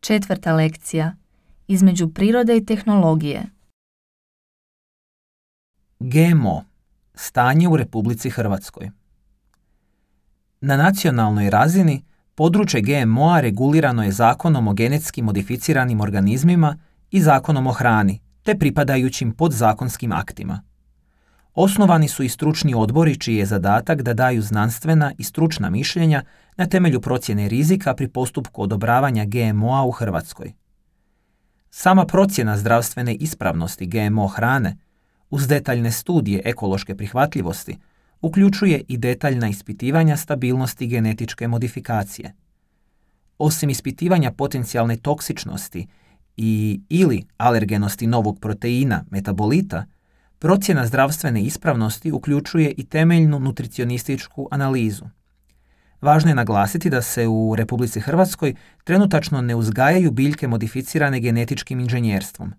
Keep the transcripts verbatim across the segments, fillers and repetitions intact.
Četvrta lekcija. Između prirode i tehnologije. G M O. Stanje u Republici Hrvatskoj. Na nacionalnoj razini područje G M O-a regulirano je Zakonom o genetski modificiranim organizmima i Zakonom o hrani, te pripadajućim podzakonskim aktima. Osnovani su i stručni odbori čiji je zadatak da daju znanstvena i stručna mišljenja na temelju procjene rizika pri postupku odobravanja G M O-a u Hrvatskoj. Sama procjena zdravstvene ispravnosti G M O hrane, uz detaljne studije ekološke prihvatljivosti, uključuje i detaljna ispitivanja stabilnosti genetičke modifikacije. Osim ispitivanja potencijalne toksičnosti i ili alergenosti novog proteina, metabolita, procjena zdravstvene ispravnosti uključuje i temeljnu nutricionističku analizu. Važno je naglasiti da se u Republici Hrvatskoj trenutačno ne uzgajaju biljke modificirane genetičkim inženjerstvom.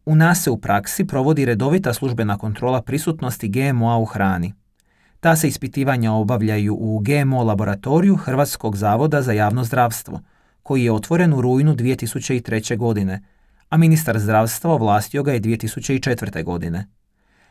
U nas se u praksi provodi redovita službena kontrola prisutnosti G M O-a u hrani. Ta se ispitivanja obavljaju u G M O laboratoriju Hrvatskog zavoda za javno zdravstvo, koji je otvoren u rujnu dvije tisuće treće. godine, a ministar zdravstva ovlastio ga je dvije tisuće četvrte. godine.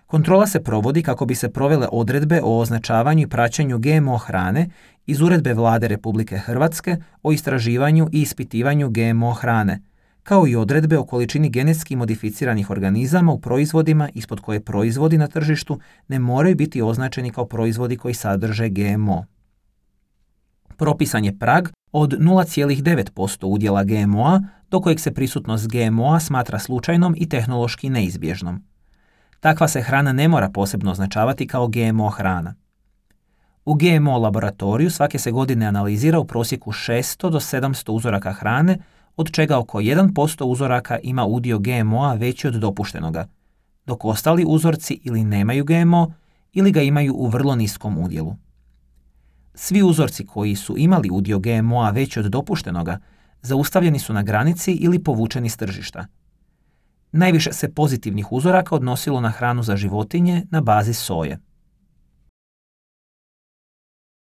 Kontrola se provodi kako bi se provele odredbe o označavanju i praćenju G M O hrane iz Uredbe Vlade Republike Hrvatske o istraživanju i ispitivanju G M O hrane, kao i odredbe o količini genetski modificiranih organizama u proizvodima ispod koje proizvodi na tržištu ne moraju biti označeni kao proizvodi koji sadrže G M O. Propisan je prag od nula zarez devet posto udjela G M O-a do kojeg se prisutnost G M O-a smatra slučajnom i tehnološki neizbježnom. Takva se hrana ne mora posebno označavati kao G M O hrana. U G M O laboratoriju svake se godine analizira u prosjeku šesto do sedamsto uzoraka hrane, od čega oko jedan posto uzoraka ima udio G M O-a veći od dopuštenoga, dok ostali uzorci ili nemaju G M O ili ga imaju u vrlo niskom udjelu. Svi uzorci koji su imali udio G M O-a veći od dopuštenoga zaustavljeni su na granici ili povučeni s tržišta. Najviše se pozitivnih uzoraka odnosilo na hranu za životinje na bazi soje.